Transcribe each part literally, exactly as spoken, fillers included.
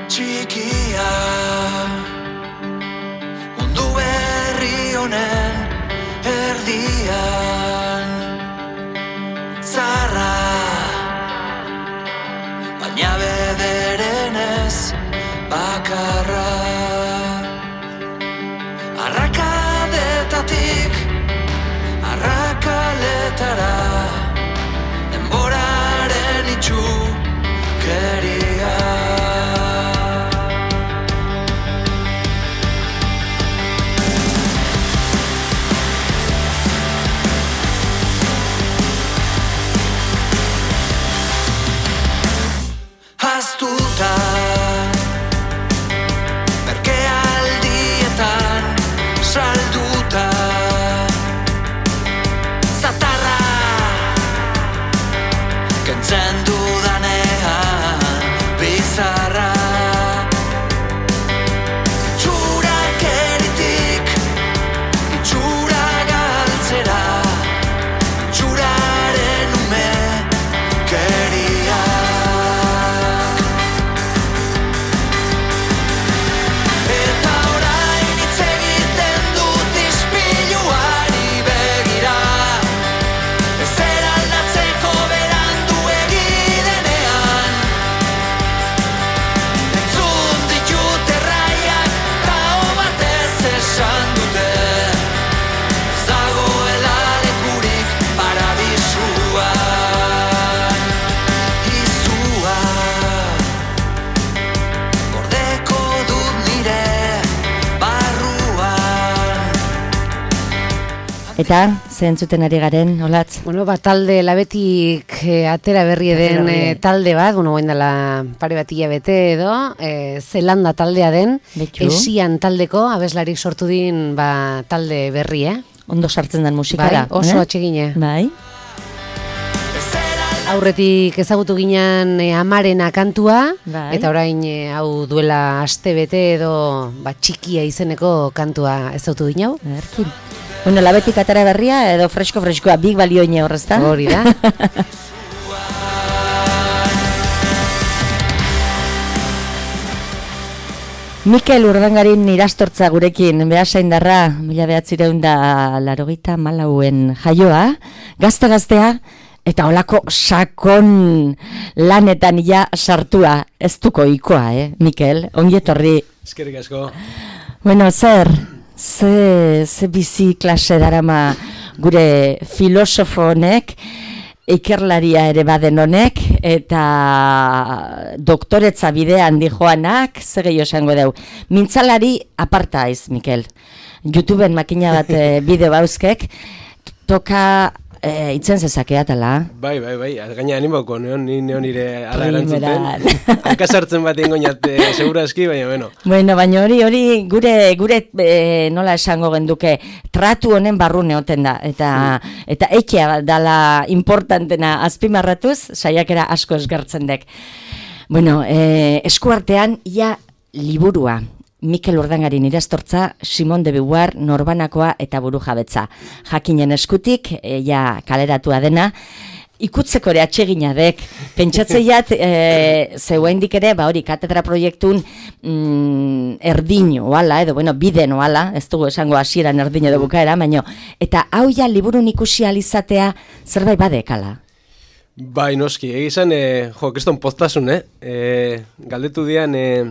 txikia, mundu berri honen erdian, zarra, baina bederen ez bakarra, arrakadetatik arrakaletara, denboraren itxukeria. Haztuta, merkealdietan salduta, zatarra kentzen dudanean bizarra, itxurakeritik itxura galtzera, itxuraren ume keria. Eta orain hitz egiten dut ispiluari begira, ezer aldatzeko beranduegi denean. Entzun ditut erraiak, kao batez esan dute, ez dagoela lekurik paradisuan. Izua gordeko dut nire barruan. Eta, ze entzuten ari garen, Olatz? Bueno, ba, talde labetik eh, atera berri den berri. eh, talde bat, bueno, guen dela pare bat hilabete edo, eh, Zelanda taldea den, Betxu. Esian taldeko, abeslarik sortu din ba, talde berri, eh? Ondo sartzen den musika Bai, da. oso eh? atsegine. Bai. Aurretik ezagutu ginen eh, Amarena kantua, Bai. eta orain eh, hau duela aste bete edo ba, txikia izeneko kantua ezagutu dinau. Erkin. Bueno, labetik atara berria edo fresko-freskoa, big balioine horrezta. Hori da. Mikel Urdangarin irastortza gurekin, behasaindarra, mila behatzireun da larogeita malauen jaioa, gazte-gaztea, eta olako sakon lanetan ja sartua, ez duko ikoa, eh, Mikel, ongietorri. Eskerrik asko. Bueno, zer, ze, ze bizi klase darama gure filosofo honek, ikerlaria ere baden honek, eta doktoretza bidean dijoanak, ze gehiago esango deu. Mintzalari aparta aiz, Mikel. YouTubeen makina bat eh, bideo bauzkek, toka eh, itzen zezakeatala. Bai, bai, bai, gaina animoko, neon, ni neon nire ala Primeran. erantzuten. Hankasartzen bat ingoinat, eh, seguraski, baina, bueno. Bueno, baina hori, hori gure, gure eh, nola esango genduke, tratu honen barrune oten da, eta, eta etxea dala importantena azpimarratuz, saiakera asko esgertzen dek. Bueno, eh, eskuartean, ia liburua. Mikel Urdangarin irastortza, Simon de Beauvoir, norbanakoa eta burujabetza. Jakinen eskutik, e, ja kaleratua dena, ikutzeko ere atsegina dek. Pentsatzeiat, e, zeuendik ere, ba hori, katedra proiektun mm, erdin oala, edo, bueno, biden oala, ez dugu esango hasieran erdin edo bukaera, baino, eta hau ja liburun ikusi alizatea zerbait badekala. Bai, noski, egizan, eh, jo, keston poztasun, eh? eh galdetu dian, eh,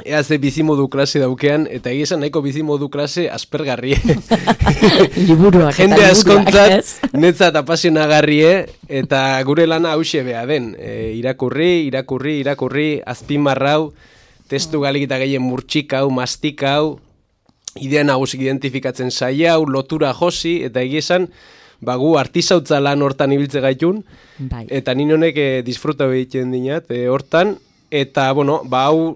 ea ze bizimodu klase daukean, eta egizan nahiko bizimodu klase aspergarrie. Liburuak eta Jende liburuak, askontzat, ez? netzat apasionagarrie, eta gure lana hause bea den. E, irakurri, irakurri, irakurri, azpimarrau, testu galik eta gehien murtxikau, mastikau, idea nagusik identifikatzen saiau, lotura josi, eta egizan, bagu artizautza lan hortan ibiltze gaitun, Bai. eta nien honek e, disfruta egiten dinat, e, hortan, eta, bueno, ba, hau,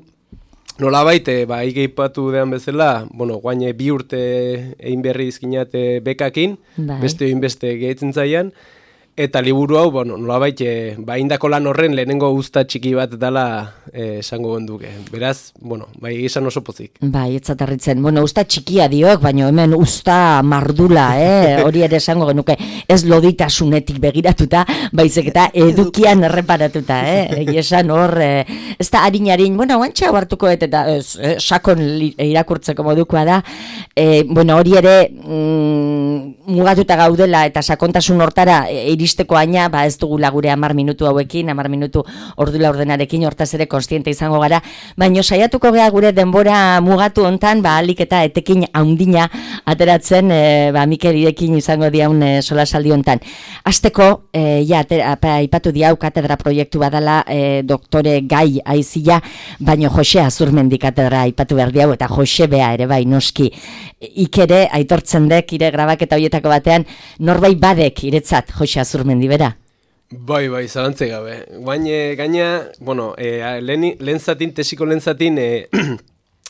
nolabait, e, ba, ikeipatu dean bezala, bueno, guain e, bi urte egin berri izkinat e, bekakin, Bai. beste egin beste gehitzen zaian, Eta liburu hau, bueno, nolabait, e, ba, indako lan horren lehenengo uzta txiki bat dela e, esango genduke. Beraz, bueno, bai izan oso pozik. Bai, etzatarritzen. Bueno, usta txikia diok, baina hemen usta mardula, eh? Hori ere esango genuke, ez loditasunetik begiratuta, baizik eta edukian erreparatuta, eh? Egi esan hor, eh, ez da harin-harin, bueno, guantxa hartuko eta ez, eh, sakon li, irakurtzeko modukoa da, eh, bueno, hori ere mm, mugatuta gaudela eta sakontasun hortara e, iristeko aina, ba ez dugula gure hamar minutu hauekin, hamar minutu ordula ordenarekin, hortaz ere konstiente izango gara, baino saiatuko gea gure denbora mugatu hontan, ba alik eta etekin haundina ateratzen, e, ba Mikel irekin izango diaun e, solasaldi hontan. Hasteko, e, ja, aipatu diau katedra proiektu badala e, doktore Gai Aizia, baino Jose Azurmendi katedra aipatu behar diau, eta Jose Bea ere bai noski. Ikere, aitortzen dek, ire grabaketa horietako batean, norbait badek iretzat Jose Azurmendi bera? Bai, bai, zalantze gabe. Guain, e, gaina, bueno, e, lehen, lehen zatin, tesiko lehen zatin, e,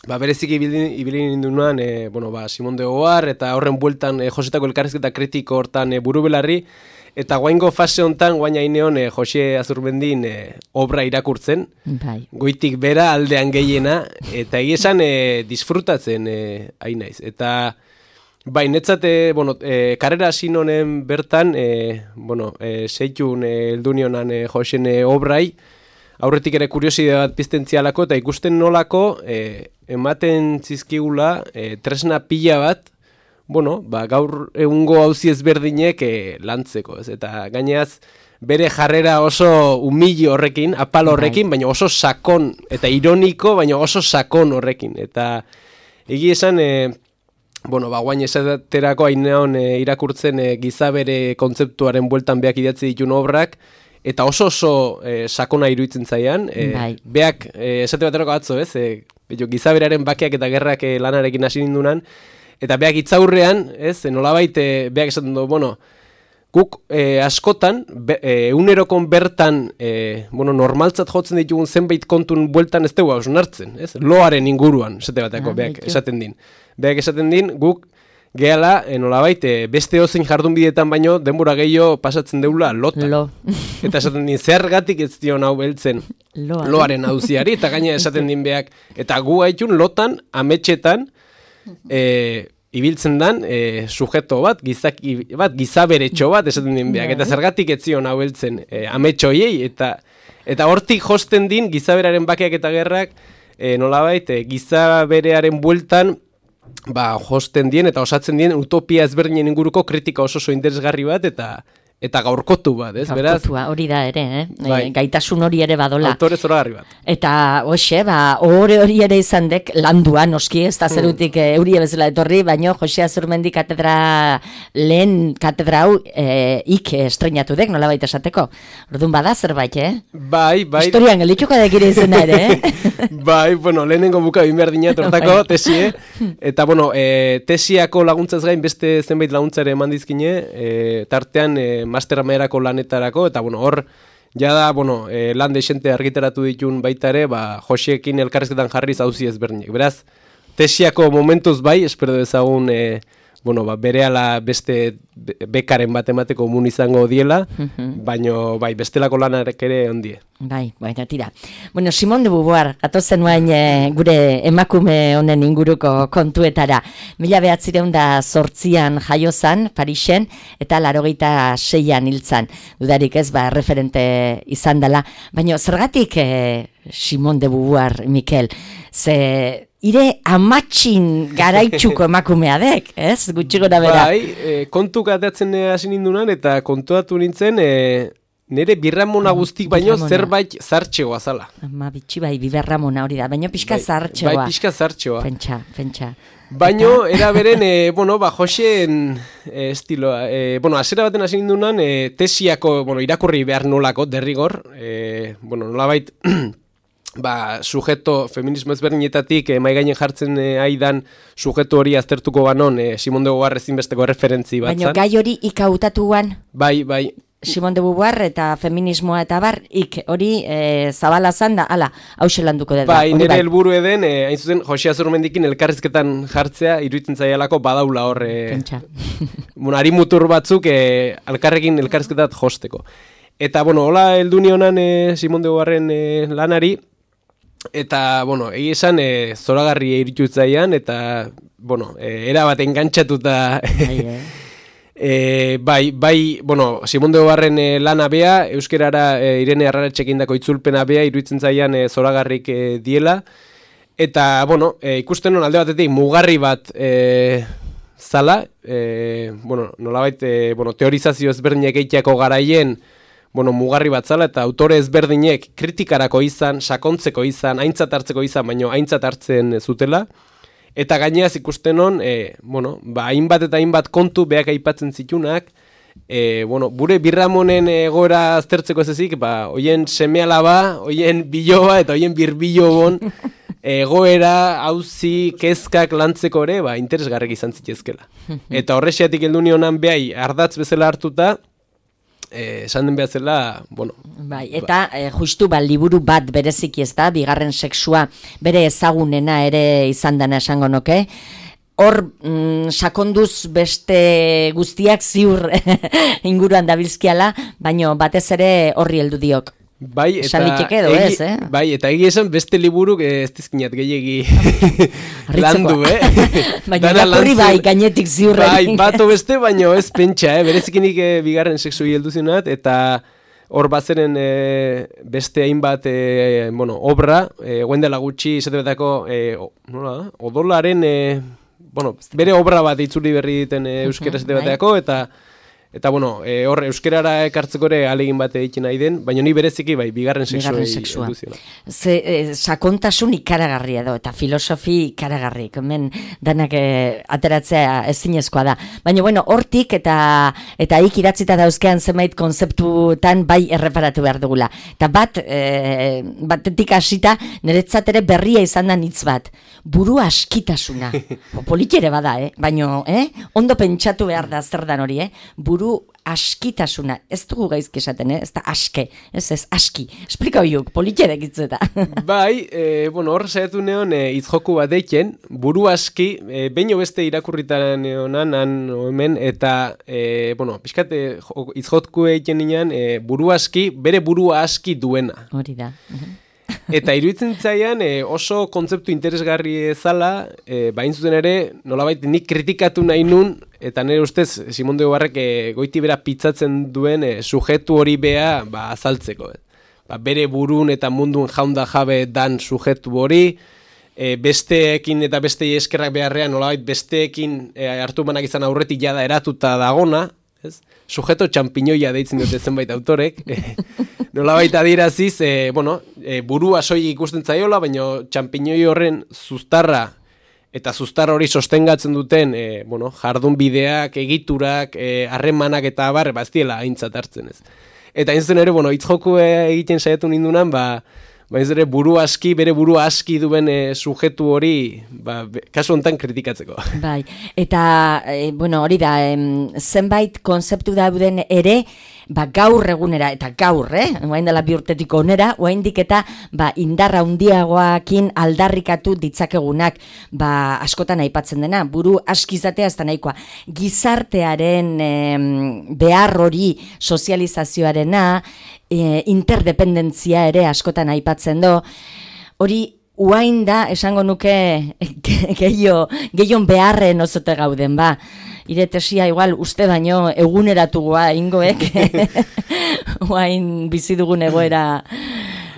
ba, berezik ibili nindunan, e, bueno, ba, Simon de Beauvoir, eta horren bueltan e, Josetako elkarrizketa kritiko hortan e, buru belarri, eta guaingo fase hontan, guain haineon, e, Jose Azurmendin e, obra irakurtzen, bai. Goitik bera aldean gehiena, eta egizan e, disfrutatzen e, hain naiz. Eta bai, netzat, e, bueno, e, karrera hasi honen bertan, e, bueno, e, zeitun eldunionan e, Joseen e, obrai, aurretik ere kurioside bat piztentzialako, eta ikusten nolako e, ematen zizkigula e, tresna pila bat, bueno, ba, gaur egungo auzi ezberdinek e, lantzeko, ez? Eta gaineaz, bere jarrera oso umili horrekin, apal horrekin, baina oso sakon, eta ironiko, baina oso sakon horrekin. Eta egi esan, e, bueno, ba, guain esaterako hainean e, irakurtzen e, gizabere kontzeptuaren bueltan beak idatzi ditun obrak, eta oso oso e, sakona iruditzen zaian, e, bai. Beak, e, esate baterako atzo, ez? E, gizaberearen bakeak eta gerrak e, lanarekin hasi nindunan, eta beak itzaurrean, ez, nolabait, e, beak esaten du, bueno, guk e, askotan, be, e, unerokon bertan, e, bueno, normaltzat jotzen ditugun zenbait kontun bueltan ez dugu hausnartzen, ez? Loaren inguruan, esate bateko, ah, beak esaten din. Beak esaten din, guk gehala, e, nolabait, e, beste ozein jardun bidetan baino, denbora gehiago pasatzen deula lotan. Lo. Eta esaten din, zergatik ez dion hau beltzen Loa. Loaren auziari, eta gaina esaten din beak, eta gu haitun lotan, ametxetan, e, ibiltzen dan e, sujeto bat, gizaki bat, gizaberetxo bat, esaten din beak, eta zergatik ez zion hau beltzen e, ametxoiei, eta eta hortik josten din gizaberaren bakeak eta gerrak, e, nolabait, e, gizaberearen bueltan, ba, josten dien eta osatzen dien utopia ezberdinen inguruko kritika oso oso interesgarri bat, eta eta gaurkotu bat, ez, beraz? Gaurkotua, hori da ere, eh? Bai. E, gaitasun hori ere badola. Autore zoragarri bat. Eta, hoxe, ba, hori hori ere izan dek landua, noski, ez da zerutik mm. euria bezala etorri, baino Jose Azurmendi katedra, lehen katedra hau, e, ik estrenatu dek, nola baita esateko. Orduan bada zerbait, eh? Bai, bai. Historian gelituko da gire izena ere, eh? Bai, bueno, lehenengo buka binberdina tortako, tesie, eta, bueno, e, tesiako laguntzaz gain beste zenbait laguntzare eman dizkine, e, tartean, e, master amaierako lanetarako, eta bueno, hor, jada, bueno, e, lan desente argitaratu ditun baita ere, ba, Joseekin elkarrezketan jarriz hauzi ezberdinek. Beraz, tesiako momentuz bai, espero dezagun, e, bueno, ba, berehala beste bekaren bat emateko mun izango diela, baino, bai, bestelako lanarek ere ondie. Bai, baina tira. Bueno, Simon de Beauvoir, gatozen nuain e, gure emakume honen inguruko kontuetara. Mila behatzireun da zortzian jaiozan, Parisen, eta larogeita seian hiltzan. Dudarik ez, ba, referente izan dela. Baina zergatik e, Simon de Beauvoir, Mikel, ze ire amatxin garaitxuko emakumea dek, ez? Gutxiko da bera. Bai, e, kontu katatzen hasi nindunan, eta kontuatu nintzen, e, nire birramona guztik baino zerbait zartxegoa zala. Ma bitxi bai, biberramona hori da, baino pixka bai, zartxegoa. Bai, pixka zartxegoa. Pentsa, pentsa. Baino, era beren, e, bueno, ba, Joseen e, estiloa. E, bueno, azera baten hasi nindunan, e, tesiako, bueno, irakurri behar nolako, derrigor, e, bueno, nolabait, ba, sujeto, feminismo ezberdinetatik e, maigainen jartzen e, aidan sujeto hori aztertuko banon, e, Simon de Beauvoir ezinbesteko referentzi bat. Baina gai hori ikautatuan? Bai, bai. Simone de Beauvoir eta feminismoa eta bar, ik hori e, zabala zan da, ala, hause landuko dut. Bai, nire helburu eden, e, hain zuzen, Jose Azurmendikin elkarrizketan jartzea, iruditzen zaialako badaula hor, e, Pentsa. bueno, ari mutur batzuk e, alkarrekin elkarrizketat josteko. Eta, bueno, hola heldu nionan e, Simone de Beauvoirren e, lanari, eta, bueno, egi esan e, zoragarri iritutzaian, eta, bueno, e, era bat engantzatuta... Bai, eh? E, bai, bai, bueno, Simone de Beauvoirren e, lana bea, euskerara e, Irene Arraratxekin dako itzulpena bea, iruditzen zaian e, zoragarrik e, diela, eta, bueno, e, ikusten hon alde batetik mugarri bat e, zala, e, bueno, nolabait, e, bueno, teorizazio ezberdinek eiteako garaien, bueno, mugarri bat zala, eta autore ezberdinek kritikarako izan, sakontzeko izan, aintzat hartzeko izan, baino aintzat hartzen zutela, eta gaineaz ikusten hon, e, bueno, ba, hainbat eta hainbat kontu beak aipatzen zitunak, e, bueno, bure birramonen egoera aztertzeko ez ezik, ba, oien seme-alaba, oien biloba eta oien birbilobon egoera, hauzi, kezkak lantzeko ere, ba, interesgarrek izan zitezkela. Eta horrexiatik heldu nionan behai ardatz bezala hartuta, Eh, esan den behatzela, bueno... Bai, eta eh, justu ba, liburu bat bereziki ez da, bigarren sexua bere ezagunena ere izan dana esango noke. Hor, mm, sakonduz beste guztiak ziur inguruan dabilzkiala, baino batez ere horri heldu diok. Bai, eta edo, egi, ez, eh? bai, eta egi esan beste liburuk ez dizkinat gehiagi landu, eh? Baina irakurri bai, gainetik ziurrekin. Bai, bato beste, baino ez pentsa, eh? Berezikinik eh, bigarren sexu heldu zinat, eta hor bazeren eh, beste hainbat eh, bueno, obra, eh, guendela gutxi, esate betako, eh, nola, odolaren, eh, bueno, bere obra bat itzuli berri diten eh, euskera esate betako, eta... Eta, bueno, e, hor, euskerara ekartzeko ere alegin bat egiten nahi den, baina ni bereziki, bai, bigarren sexua eduziona. Ze, e, sakontasun ikaragarria edo, eta filosofi ikaragarri, hemen danak e, ateratzea ezinezkoa da. Baina, bueno, hortik eta eta ik idatzita dauzkean zenbait konzeptutan bai erreparatu behar dugula. Eta bat, e, batetik hasita, niretzat ere berria izan da hitz bat. Buru askitasuna. Politere bada, eh? Baina, eh? Ondo pentsatu behar da zer dan hori, eh? Buru askitasuna, ez dugu gaizki esaten, eh? Ez da aske, ez ez aski. Esplika hoiuk, politxerek itzueta. Bai, e, bueno, hor saiatu neon e, itzjoku bat eiken, buru aski, e, beino beste irakurritan neonan, han hemen, eta, e, bueno, pixkat e, itzjoku eiken nian, e, buru aski, bere burua aski duena. Hori da. Eta iruditzen zaian e, oso kontzeptu interesgarri zala, e, bain zuten ere, nolabait nik kritikatu nahi nun, eta nire ustez, Simone de Beauvoirrek e, goiti bera pitzatzen duen e, sujetu hori bea ba, azaltzeko. Ba, bere burun eta mundun jaunda jabe dan sujetu hori, e, besteekin eta bestei eskerrak beharrean, nolabait besteekin e, hartu manak izan aurretik jada eratuta dagona, ez? Sujeto txampiñoia deitzen dute zenbait autorek, e, nolabait adiraziz, e, bueno, e, burua soilik ikusten zaiola, baina txampiñoi horren zuztarra eta zuztar hori sostengatzen duten, e, bueno, jardun bideak, egiturak, harremanak e, eta abar, baztiela aintzat hartzen ez. Eta hain zen ere, bueno, itzjoku egiten saiatu nindunan, ba, ba ez ere buru aski, bere buru aski duen e, sujetu hori, ba, be, kasu honetan kritikatzeko. Bai, eta, e, bueno, hori da, em, zenbait konzeptu dauden ere, ba, gaur egunera, eta gaur, eh? Oain dela bi urtetiko onera, oaindik eta ba, indarra handiagoakin aldarrikatu ditzakegunak, ba, askotan aipatzen dena, buru askizatea ez da nahikoa. Gizartearen em, behar hori sozializazioarena, e, interdependentzia ere askotan aipatzen do, hori uain da, esango nuke, gehiago, gehiago beharren osote gauden, ba. Ire tesia igual uste baino eguneratugoa ingoek, uain bizi dugun egoera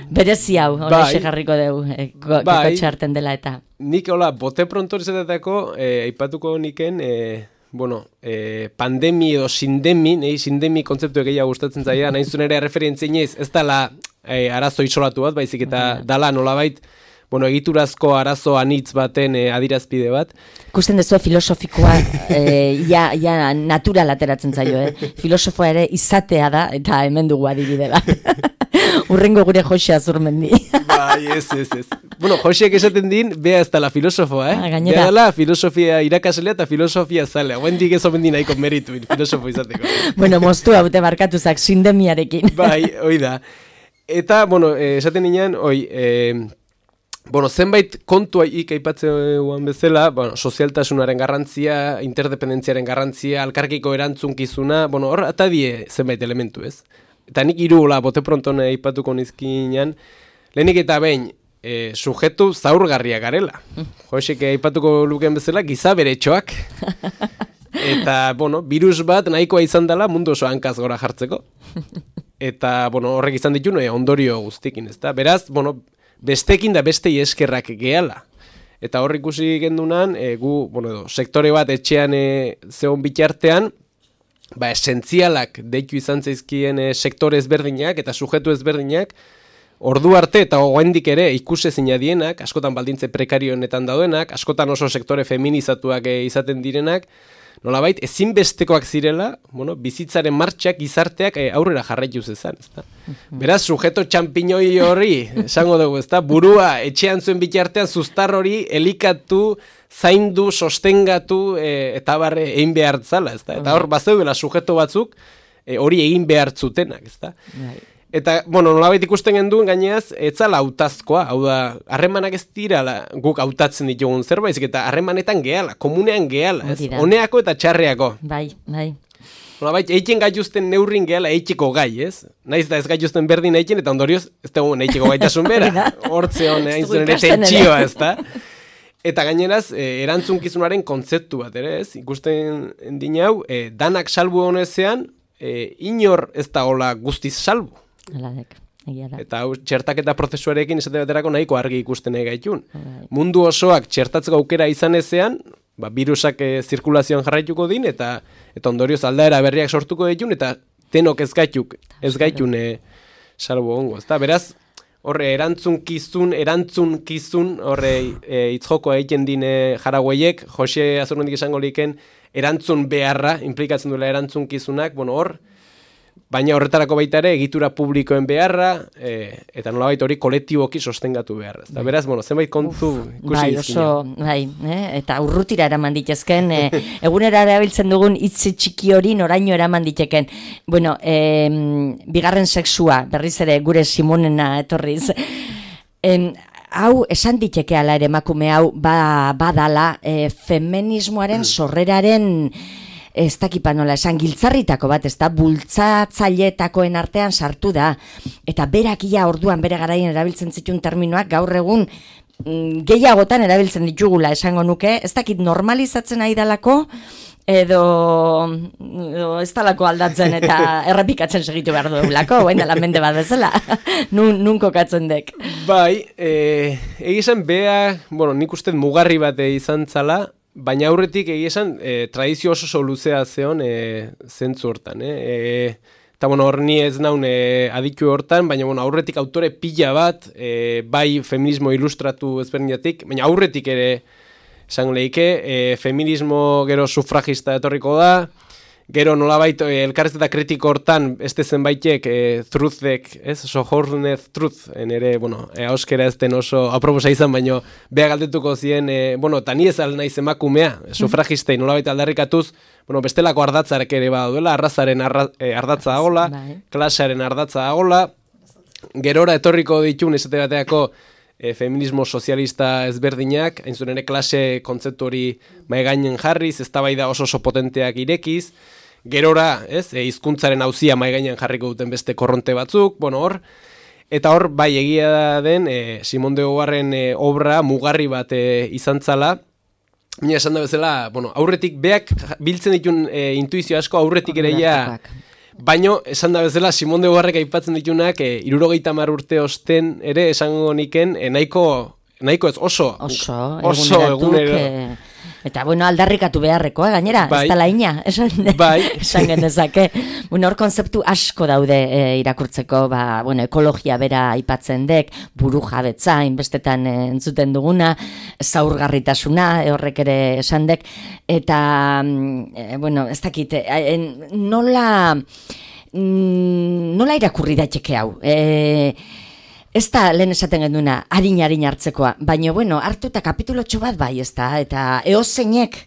berezi hau, hori jarriko dugu, e, bai, txarten dela eta. Nik, hola, bote pronto izatetako, aipatuko e, niken, e, bueno, e, pandemi edo sindemi, nahi sindemi kontzeptu egeia gustatzen zaia, nahi zuen ere referentzien ez, ez dala e, arazo isolatu bat, baizik eta dala nolabait, bueno, egiturazko arazo anitz baten e, adirazpide bat. Ikusten dezu filosofikoa e, ja, ja natural ateratzen zaio, eh? Filosofoa ere izatea da, eta hemen dugu adibide bat. Urrengo gure Jose Azurmendi. Bai, ez, ez, ez. Bueno, Joseak esaten din, bea ez dela filosofoa, eh? Ah, gainera. Bea dela filosofia irakaslea eta filosofia zalea. Guendik ez omen di nahiko meritu filosofo izateko. Bueno, moztu haute barkatuzak sindemiarekin. Bai, hoi da. Eta, bueno, eh, esaten ninean, oi, eh, bueno, zenbait kontua ik aipatzen bezala, bueno, sozialtasunaren garrantzia, interdependentziaren garrantzia, alkarkiko erantzunkizuna, bueno, hor, eta die zenbait elementu, ez? Eta nik irula, bote pronton aipatuko nizkinan, lehenik eta behin, e, sujetu zaurgarria garela. Josek aipatuko luken bezala, giza beretxoak. Eta, bueno, virus bat nahikoa izan dela mundu oso hankaz gora jartzeko. Eta, bueno, horrek izan ditu, no, ondorio guztikin, ezta? Beraz, bueno, bestekin da bestei eskerrak gehala. Eta hor ikusi gendunan, e, gu, bueno, edo, sektore bat etxean e, zeon bitartean, ba, esentzialak deitu izan zaizkien e, sektore ezberdinak eta sujetu ezberdinak, ordu arte eta oraindik ere ikusezina dienak, askotan baldintze prekarioenetan daudenak, askotan oso sektore feminizatuak e, izaten direnak, nolabait ezinbestekoak zirela, bueno, bizitzaren martxak gizarteak e, aurrera jarraitu zezan, ezta? Beraz, sujeto txampiñoi hori, esango dugu, ezta? Burua etxean zuen bitartean zuztar hori elikatu, zaindu, sostengatu e, eta barre egin behar zala, ezta? Eta hor, bazeudela sujeto batzuk e, hori egin behar zutenak, ezta? Eta, bueno, nolabait ikusten genduen gaineaz, etzala hautazkoa, hau da, harremanak ez dira guk hautatzen ditugun zerbait, eta harremanetan gehala, komunean gehala, ez? Honeako eta txarreako. Bai, bai. Nolabait, eitzen gaituzten neurrin gehala eitxeko gai, ez? Naiz da ez gaituzten berdin eitzen, eta ondorioz, ez dugu eitxeko gaitasun bera. Hortze hon, hain zuen ere tentsioa, ez da? Eta gaineraz, eh, erantzunkizunaren kontzeptu bat, ere, ez? Ikusten dinau, eh, danak salbu honezean, eh, inor ez da hola guztiz salbu. Aladek, egia da. Eta hau, txertaketa prozesuarekin esate baterako nahiko argi ikusten gaitun. Mundu osoak txertatzeko aukera izan ezean, ba, virusak e, zirkulazioan jarraituko din, eta eta ondorioz aldaera berriak sortuko ditun, eta tenok ez gaituk, ez gaitun e, salbo ongo. Ezta? Beraz, horre erantzunkizun, erantzunkizun, horre e, itzjokoa egiten dine jaragueiek, Jose Azurmendik esango liken, erantzun beharra, implikatzen duela erantzunkizunak, bueno, hor, baina horretarako baita ere egitura publikoen beharra, e, eta nolabait hori kolektiboki sostengatu beharra. Eta beraz, bueno, zenbait kontu ikusi bai, dizkina. Oso, bai, eh? Eta urrutira eraman ditezken, e, egunera erabiltzen dugun hitz txiki hori noraino eraman diteken. Bueno, e, bigarren sexua, berriz ere gure Simonena etorriz, en, hau esan diteke ala ere emakume hau ba, badala e, feminismoaren sorreraren ez dakipa nola esan giltzarritako bat, ez da, bultzatzaileetakoen artean sartu da, eta berakia orduan bere garaien erabiltzen zituen terminoak gaur egun mm, gehiagotan erabiltzen ditugula esango nuke, ez dakit normalizatzen nahi dalako, edo, edo ez dalako aldatzen eta errepikatzen segitu behar dugulako, oain dela mende bat bezala, nun, nun kokatzen dek. Bai, e, egizan bea, bueno, nik uste mugarri bat izan zala, baina aurretik egia esan, e, tradizio oso oso luzea zeon e, zentzu hortan. Eh? E, eta bueno, hor ni ez naun e, aditu hortan, baina bueno, aurretik autore pila bat, e, bai feminismo ilustratu ezberdinatik, baina aurretik ere esango leike, e, feminismo gero sufragista etorriko da, gero nolabait e, elkarrizketa kritiko hortan, este zenbaitek e, truthek, ez, sojournez truth, en ere, bueno, e, auskera ez den oso aproposa izan, baino beha galdetuko zien, e, bueno, eta ni ez al naiz emakumea, sufragistei nolabait aldarrikatuz, bueno, bestelako ardatzarek ere baduela, arrazaren arra, e, ardatza agola, klasearen ardatza agola, gerora etorriko ditun esate bateako e, feminismo sozialista ezberdinak, hain zuen ere klase kontzeptu hori maigainen jarriz, eztabaida oso oso potenteak irekiz, gerora, ez, e, hizkuntzaren auzia maigainen jarriko duten beste korronte batzuk, bueno, hor, eta hor, bai egia den, e, Simon de Beauvoirren e, obra mugarri bat e, izan zala, baina esan da bezala, bueno, aurretik beak biltzen ditun e, intuizio asko aurretik ere ja, baino, esan da bezala, Simon de Beauvoirrek aipatzen ditunak, e, irurogeita hamar urte osten ere esango niken, e, nahiko, nahiko ez oso, oso, oso egunero. E, eta, bueno, aldarrikatu beharrekoa, gainera, bai, ez da laina, esan, bai, esan genezake. Bueno, hor konzeptu asko daude e, irakurtzeko, ba, bueno, ekologia bera aipatzen dek, buru jabetza, inbestetan e, entzuten duguna, zaurgarritasuna, e, horrek ere esan dek, eta, e, bueno, ez dakit, e, nola... mm, nola irakurri daiteke hau? E, ez da, lehen esaten genduna, harin-harin hartzekoa, baina, bueno, hartuta kapitulotxo bat bai, ez da, eta eozeinek,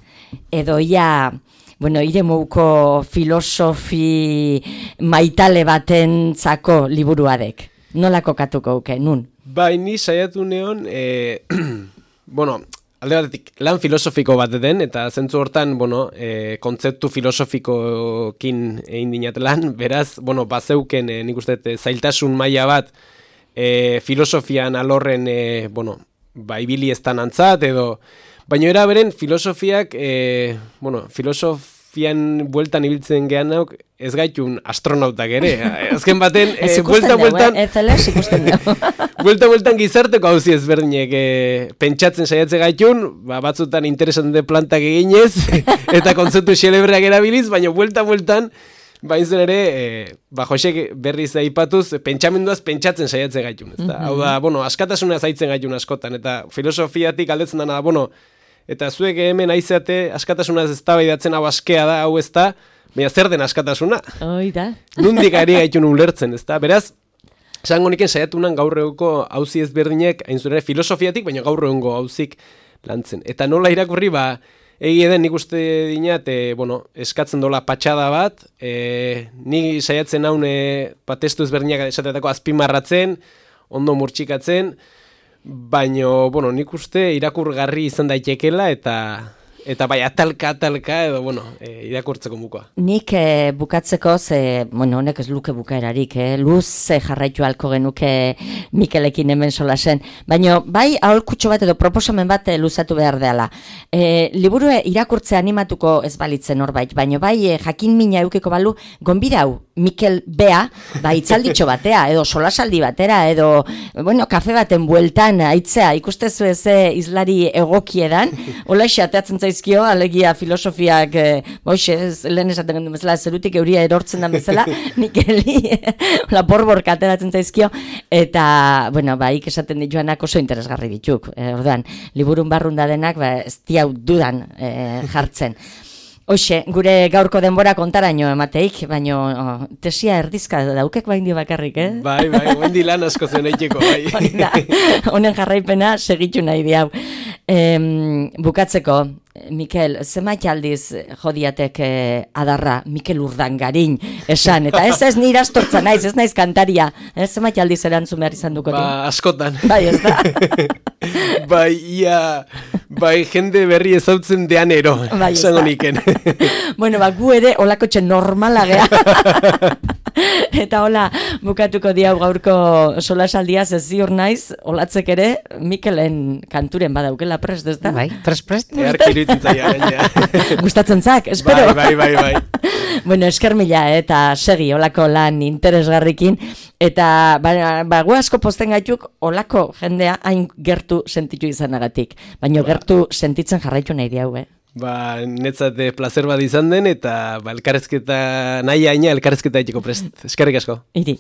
edo ja, bueno, iremouko filosofi maitale batentzako liburuadek. Nola kokatuko uke, nun? Bai, ni saiatu neon, e, bueno, alde batetik, lan filosofiko bat den, eta zentzu hortan, bueno, e, kontzeptu filosofikokin egin dinat lan, beraz, bueno, bazeuken, e, nik uste, zailtasun maila bat, e, filosofian alorren, e, bueno, ba, ibili estan antzat, edo, baina era beren, filosofiak, e, bueno, filosofian bueltan ibiltzen gehan nauk, ez gaitun astronautak ere. Azken baten, e, bueltan, bueltan... Ez zeles ikusten dugu. Bueltan, bueltan gizarteko hauzi ezberdinek e, pentsatzen saiatze gaitun, ba, batzutan interesante plantak eginez, eta kontzeptu xelebreak erabiliz, baina bueltan, bueltan, bain zen ere, e, ba, Josek berriz aipatuz, pentsamenduaz pentsatzen saiatze gaitun. Ez da? Mm-hmm. Hau da, bueno, askatasuna zaitzen gaitun askotan, eta filosofiatik aldetzen dana, bueno, eta zuek hemen aizate askatasunaz ez da baidatzen hau askea da, hau ez da, baina zer den askatasuna? Hoi da. Nundik ari gaitun ulertzen, ez da? Beraz, esango niken saiatunan gaur egungo auzi ezberdinek, hain zure filosofiatik, baina gaur egungo auzik lantzen. Eta nola irakurri, ba, egia den nik uste dinat, e, bueno, eskatzen dola patxada bat, e, ni saiatzen haun e, testu ezberdinak esatetako azpimarratzen, ondo murtsikatzen, baina, bueno, nik uste irakurgarri izan daitekela, eta... Eta bai, atalka, atalka, edo, bueno, e, irakurtzeko mukoa. Nik e, bukatzeko, ze, bueno, honek ez luke bukaerarik, eh? Luz jarraitu halko genuke Mikelekin hemen solasen. Baina, bai, aholkutxo bat edo proposamen bat luzatu behar dela. E, liburu irakurtzea animatuko ez balitzen horbait, baina bai, e, jakin mina eukiko balu, gonbidau, Mikel Bea, ba, itzalditxo batea, edo solasaldi batera, edo, bueno, kafe baten bueltan, aitzea, ikustezu ez izlari egokiedan, hola ateatzen zaizkio, alegia filosofiak, e, boixe, lehen esaten gendu bezala, zerutik euria erortzen da bezala, Mikeli, hola borbor kateratzen zaizkio, eta, bueno, ba, ik esaten dituanak oso interesgarri dituk, e, orduan, liburun barrunda denak, ba, ez diau dudan e, jartzen. Hoxe, gure gaurko denbora kontaraino emateik, baino oh, tesia erdizka daukek bain dio bakarrik, eh? Bai, bai, guendi lan asko zen eiteko, bai. Da, honen jarraipena segitu nahi diau. Em, bukatzeko, Mikel, zenbait aldiz jodiatek eh, adarra Mikel Urdangarin esan, eta ez ez nire astortza naiz, ez naiz kantaria, eh? Zenbait aldiz erantzun behar izan duko. Ba, askotan. Bai, ez da. Bai, ia, bai, jende berri ezautzen dean ero, bai, esango niken. Bueno, ba, gu ere olakotxe normala gea. Eta hola, bukatuko diau gaurko solasaldiaz ez ziur naiz, olatzek ere, Mikelen kanturen badaukela prest, ez da? Bai, prest, prest. Earki iruditzen zaia, gaina. Gustatzen zak, espero. Bai, bai, bai, bai. Bueno, esker mila, eta segi olako lan interesgarrikin, eta ba, ba, gu asko posten gaituk olako jendea hain gertu sentitu izanagatik, baina ba. Gertu sentitzen jarraitu nahi diau, eh? Ba, netzat placer bat izan den, eta ba, elkarrezketa nahi aina, elkarrezketa etiko prest. Eskerrik asko. Iri.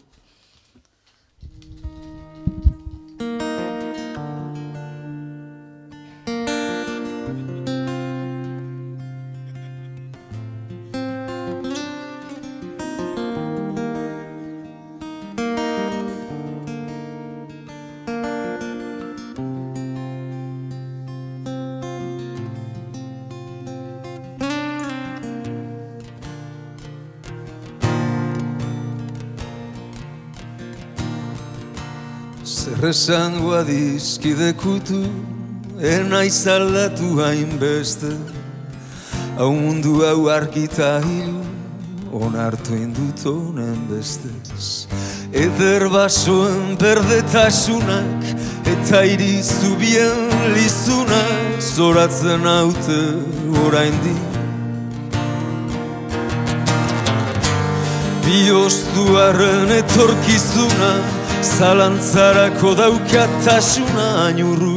Zer esango adizkidekutu, enaiz aldatu hainbeste, hau mundu hau arkita hilu, onartu indut honen bestez. Eder basoen berdetasunak, eta irizu bien lizunak, zoratzen haute oraindik. Bioztuaren etorkizuna, zalantzarako daukatasuna, ainurru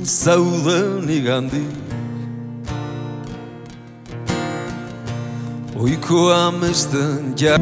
zauden igandik. Oiko amesten ja...